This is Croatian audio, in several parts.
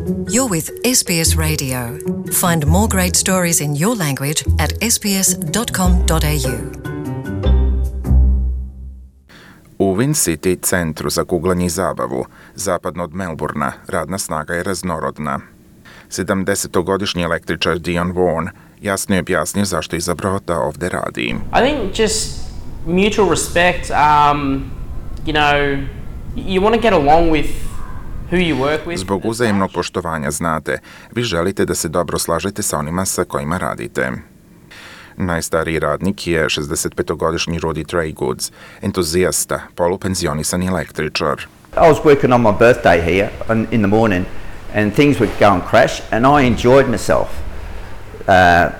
You're with SBS Radio. Find more great stories in your language at sbs.com.au. U Wind City, centru za kuglanje i zabavu, zapadno od Melbourna, radna snaga je raznorodna. 70-godišnji električar Dion Vaughan jasno je objasnio zašto je izabrao da ovde radi. I think just mutual respect, you want to get along with who you work with. Zbog uzajemnog poštovanja, znate, vi želite da se dobro slažete sa onima sa kojima radite. Najstariji radnik je 65-godišnji Rudy Treygoods, entuzijasta, polupenzionisani električar. I was working on my birthday here in the morning and things would go and crash and I enjoyed myself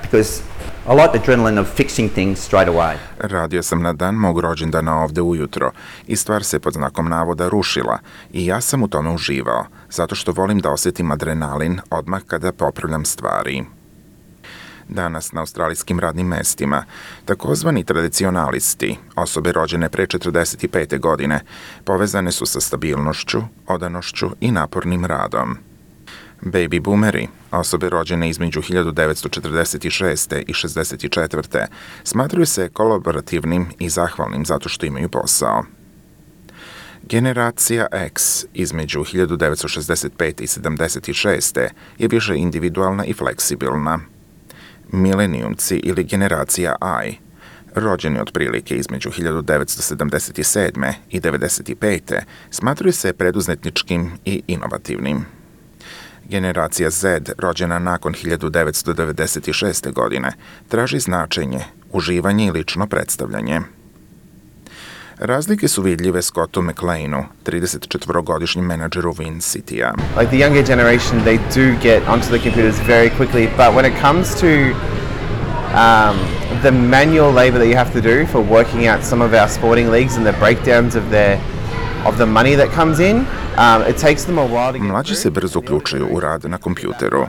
because I like the adrenaline of fixing things straight away. Radio sam na dan mog rođendana ovde ujutro i stvar se pod znakom navoda rušila i ja sam u tome uživao, zato što volim da osjetim adrenalin odmah kada popravljam stvari. Danas na australijskim radnim mestima takozvani tradicionalisti, osobe rođene pre 45. godine, povezane su sa stabilnošću, odanošću i napornim radom. Baby boomeri, osobe rođene između 1946. i 64. smatraju se kolaborativnim i zahvalnim zato što imaju posao. Generacija X između 1965. i 76. je više individualna i fleksibilna. Milenijumci ili generacija I, rođeni otprilike između 1977. i 95. smatruju se preduzetničkim i inovativnim. Generacija Z, rođena nakon 1996. godine, traži značenje, uživanje i lično predstavljanje. Razlike su vidljive Scottu McLeanu, 34-godišnjem menadžeru Wind City-a. Like the younger generation, they do get onto the computers very quickly, but when it comes to the manual labor that you have to do for working out some of our sporting leagues and the breakdowns of the money that comes in, it takes them a while to get Mlađi se brzo uključuju u rad na kompjuteru,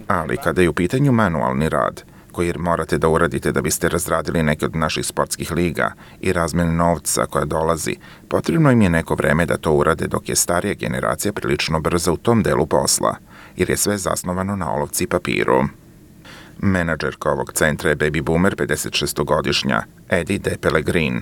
ali kada je u pitanju manualni rad, koji morate da uradite da biste razradili neke od naših sportskih liga i razmene novca koja dolazi, potrebno im je neko vreme da to urade dok je starija generacija prilično brza u tom delu posla, jer je sve zasnovano na olovci i papiru. Menadžerka ovog centra je baby boomer 56-godišnja Eddie De Pellegrin.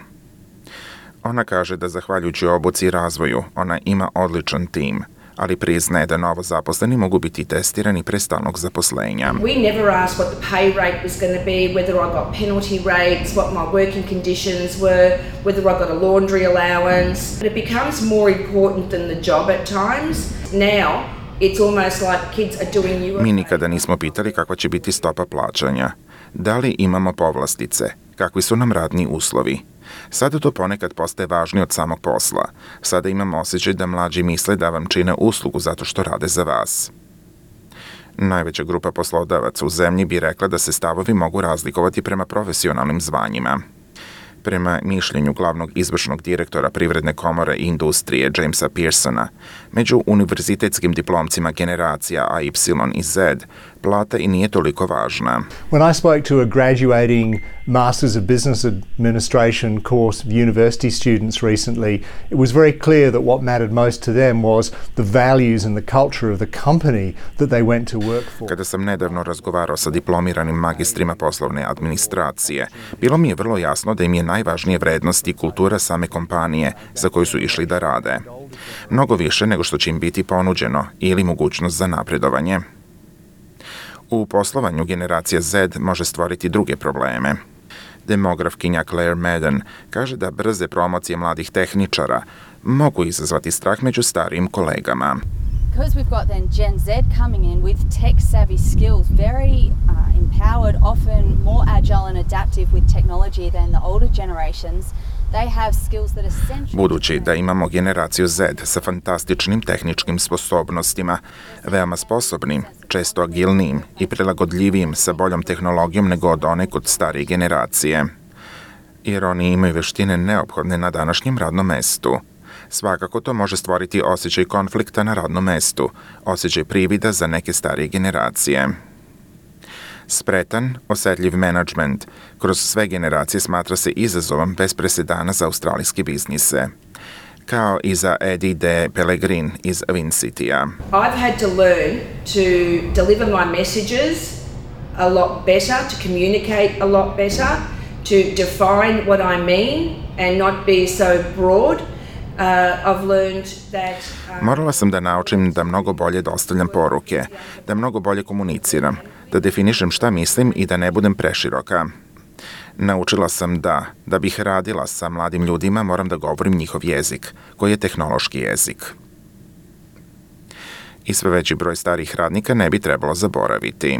Ona kaže da zahvaljujući obuci i razvoju ona ima odličan tim, ali priznaje da novo zaposleni mogu biti testirani pre stalnog zaposlenja. We never asked what the pay rate was going to be, whether I got penalty rates, what my working conditions were, whether I got a laundry allowance. It becomes more important than the job at times. Now, it's almost like kids are doing you a favor. Mi nikada nismo pitali kakva će biti stopa plaćanja. Da li imamo povlastice? Kakvi su nam radni uslovi? Sada to ponekad postaje važnije od samog posla. Sada imam osjećaj da mlađi misle da vam čine uslugu zato što rade za vas. Najveća grupa poslodavaca u zemlji bi rekla da se stavovi mogu razlikovati prema profesionalnim zvanjima. Prema mišljenju glavnog izvršnog direktora Privredne komore i industrije Jamesa Pearsona, među univerzitetskim diplomcima generacija A, Y i Z, plata i nije toliko važna. When I spoke to a graduating Masters of Business Administration course of university students recently, it was very clear that what mattered most to them was the values and the culture of the company that they went to work for. Kada sam nedavno razgovarao sa diplomiranim magistrima poslovne administracije, bilo mi je vrlo jasno da im je najvažnije vrednosti i kultura same kompanije za koju su išli da rade. Mnogo više nego što će im biti ponuđeno ili mogućnost za napredovanje. U poslovanju generacija Z može stvoriti druge probleme. Demografkinja Claire Madden kaže da brze promocije mladih tehničara mogu izazvati strah među starijim kolegama. Because we've got then Gen Z coming in with tech-savvy skills, very empowered, often more agile and adaptive with technology than the older generations, they have skills that are essential. Budući da imamo generaciju Z sa fantastičnim tehničkim sposobnostima, veoma sposobnim, često agilnijim i prilagodljivijim sa boljom tehnologijom nego od one kod starije generacije. Jer oni imaju veštine neophodne na današnjem radnom mestu. Svakako to može stvoriti osjećaj konflikta na radnom mestu, osjećaj privida za neke starije generacije. Spretan, osetljiv menadžment kroz sve generacije smatra se izazovom bez presedana za australijske biznise. kao i za Eddie de Pellegrin iz Vincitija. I've had to learn to deliver my messages a lot better, to communicate a lot better, to define what I mean and not be so broad. I've learned that Morala sam da naučim da mnogo bolje dostavljam poruke, da mnogo bolje komuniciram, da definišem šta mislim i da ne budem preširoka. Naučila sam da bih radila sa mladim ljudima, moram da govorim njihov jezik, koji je tehnološki jezik. I sve veći broj starih radnika ne bi trebalo zaboraviti.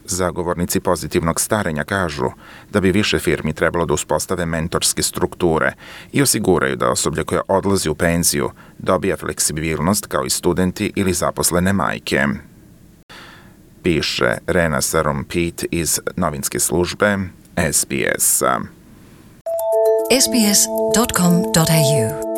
Zagovornici pozitivnog starenja kažu da bi više firmi trebalo da uspostave mentorske strukture i osiguraju da osoblje koje odlazi u penziju dobija fleksibilnost kao i studenti ili zaposlene majke. Piše Rena Sarom-Pitt iz novinske službe SBS. sbs.com.au